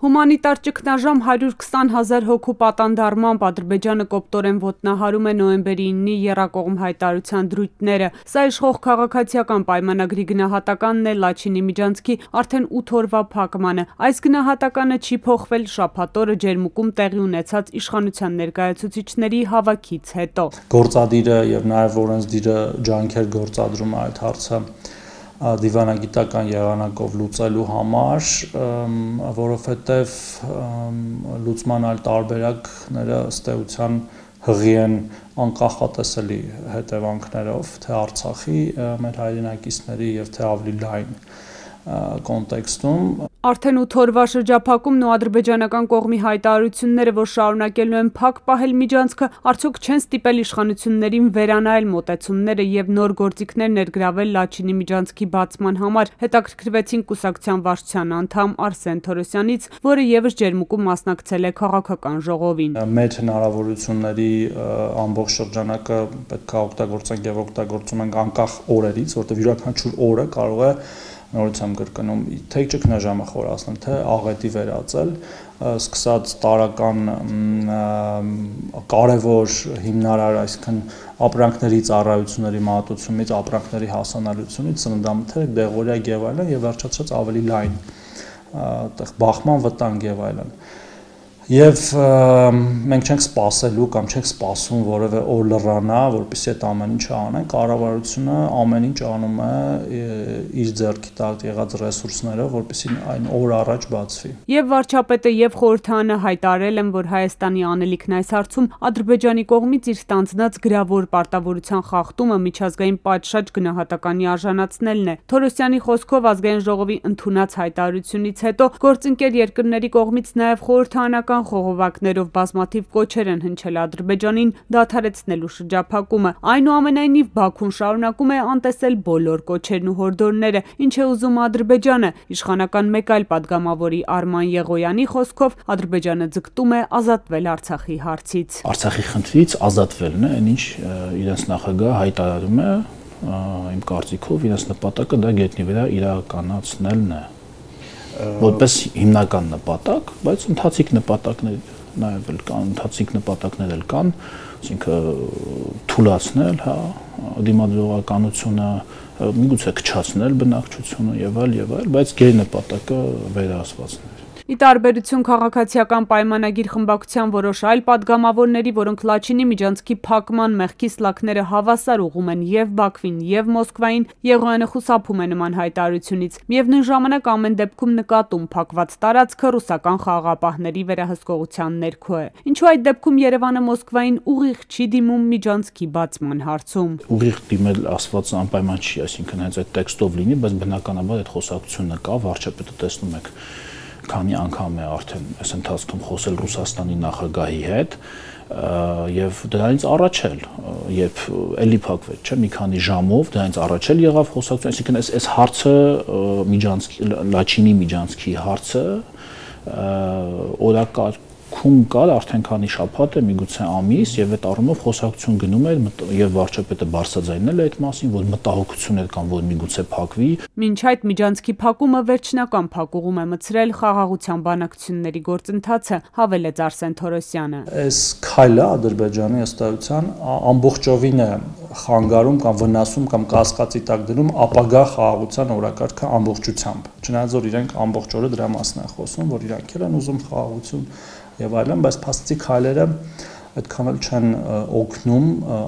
Հումանիտար ճգնաժամ 120,000 հոգու պատանդարմամբ Ադրբեջանը կոպտորեն ոտնահարում է նոյեմբերի 9-ի եռակողմ հայտարարության դրույթները։ Սա իշխող քաղաքացիական պայմանագրի գնահատականն է Լաչինի միջանցքի արդեն 8 օրվա փակմանը։ Այս գնահատականը չի փոխվել շաբաթ օրը Ջերմուկում տեղի ունեցած իշխանության ներկայացուցիչների հավաքից հետո։ Գործադիրը եւ նաեւ օրենսդիրը ջանքեր գործադրում է այդ հարցը դիվանագիտական եղանակով լուծելու համար, որովհետև լուծման այլ տարբերակները ըստ էության հղի են անկախատեսելի հետևանքներով թե Արցախի մեր հայրենակիցների եւ թե ավելի լայն կոնտեքստում։ Արդեն 8 օրվա շրջափակումն ու ադրբեջանական կողմի հայտարարությունները, որ շարունակելու են փակ պահել միջանցքը, արդյոք չեն ստիպել իշխանություններին վերանայել մոտեցումները եւ նոր գործիքներ ներգրավել Լաչինի միջանցքի բացման համար, հետաքրքրվեցին կուսակցության վարչության անդամ Արսեն Թորոսյանից, որը եւս Ջերմուկում մասնակցել է քաղաքական ժողովին։ Մեր հնարավորությունների ամբողջ շրջանակը պետք է օգտագործենք եւ օգտագործում ենք անկախ օրերից, որտեղ յուրաքանչյուր օրը կարող է նորությամբ կրկնում թե ճգնաժամը խորացնել, թե աղետի վերածել, սկսած տարական կարևոր հիմնարար, այսինքն ապրանքների ծառայությունների մատուցումից, ապրանքների հասանելիությունից, սննդամթերք, դեղորայք եւ այլն, եւ վերջացած ավելի լայն այդտեղ բախման վտանգ եւ այլն։ Եվ մենք չենք սպասելու կամ չենք սպասում որևէ օր լռանա, որպեսզի այդ ամեն ինչը անեն, կառավարությունը ամեն ինչ անում է իր ձեռքի տակ եղած ռեսուրսներով, որպեսզի այն օր առաջ բացվի։ Եվ վարչապետը եւ խորհրդարանը հայտարարել են, որ Հայաստանի անելիքն այս հարցում Ադրբեջանի կողմից իր ստանձնած գրավոր պարտավորության խախտումը միջազգային պատշաճ գնահատականի արժանացնելն է։ Թորոսյանի խոսքով ազգային ժողովի ընդունած հայտարարությունից հետո գործընկեր երկրների կողմից նաեւ խորհրդարանական խողովակներով բազմաթիվ կոչեր են հնչել Ադրբեջանին դադարեցնելու շրջափակումը։ Այնուամենայնիվ Բաքուն շարունակում է անտեսել բոլոր կոչերն ու հորդորները, ինչ է ուզում Ադրբեջանը։ Իշխանական մեկ այլ падգամավորի Արման Եղոյանի խոսքով Ադրբեջանը ձգտում է ազատվել Արցախի հարցից։ Արցախի խնդրից ազատվելն է, այն ինչ իրենց նախագահը հայտարարում է, իմ կարծիքով իրենց նպատակը դա գետնի վրա իրականացնելն է։ Որպես հիմնական նպատակ, բայց ընթացիկ նպատակներ նաև կան, ընթացիկ նպատակներ կան, այսինքն թուլացնել, հա, դիմադրողականությունը, միգուցե քչացնել բնակչությունը եւ այլ, բայց գեր նպատակը վերահսկվածն է։ Ի տարբերություն քաղաքացիական պայմանագիր խմբակցության որոշ այլ падգամավորների, որոնք Լաչինի միջանցքի փակման մեղքի սլաքները հավասար ուղղում են եւ Բաքվին եւ Մոսկվային, Եղոյանը խուսափում է նման հայտարարությունից։ Միևնույն ժամանակ ամեն դեպքում նկատում փակված տարածքը ռուսական խաղաղապահների վերահսկողության ներքո է։ Ինչու այդ դեպքում Երևանը Մոսկվային ուղիղ չի դիմում միջանցքի բացման հարցում։ Ուղիղ դիմել ասված անպայման չի, այսինքն հենց այդ տեքստով լինի, բայց բնականաբար այդ խոսակցությունը կա, վարչապետը տեսնում եք քանի անգամ է արդեն այս ընթացքում խոսել Ռուսաստանի նախագահի հետ եւ դրանից առաջել, երբ էլի փակվեց, չէ, մի քանի ժամով դրանից առաջել եղավ խոսակցություն, այսինքն այս հարցը միջանցքի Լաչինի միջանցքի հարցը օրակարգում կար արդեն քանի շաբաթ է, միգուցե ամիս, եւ այդ առումով խոսակցություն գնում էր եւ վարչապետը բարձրաձայնել է այդ մասին, որ մտահոգություններ կան, որ միգուցե փակվի։ Մինչ այդ միջանցքի փակումը վերջնական փակուղում է մցրել խաղաղության բանակցությունների գործընթացը, հավելեց Արսեն Թորոսյանը։ Այս քայլը Ադրբեջանի ըստ էության ամբողջովին է խանգարում կամ վնասում կամ կասկածի տակ դնում ապագա խաղաղության օրակարգը ամբողջությամբ։ Չնայած որ իրենք ամբողջ օրը դրա մասին են խոսում, որ իրանք են ուզում խաղաղություն եւ այլն, բայց փաստի քայլերը այդքան էլ չեն օգնում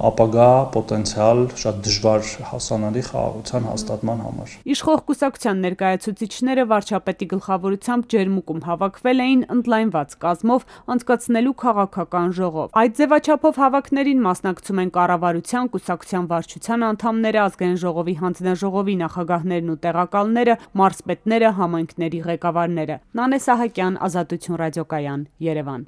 ապագա պոտենցիալ շատ դժվար հասանելի խաղաղության հաստատման համար։ Իշխող կուսակցության ներկայացուցիչները վարչապետի գլխավորությամբ Ջերմուկում հավաքվել էին ընդլայնված կազմով անցկացնելու քաղաքական ժողով։ Այդ ձևաչափով հավաքներին մասնակցում են կառավարության, կուսակցության վարչության անդամները, ազգային ժողովի հանձնաժողովի նախագահներն ու տեղակալները, մարզպետները, համայնքների ղեկավարները։ Նանե Սահակյան, Ազատություն ռադիոկայան, Երևան։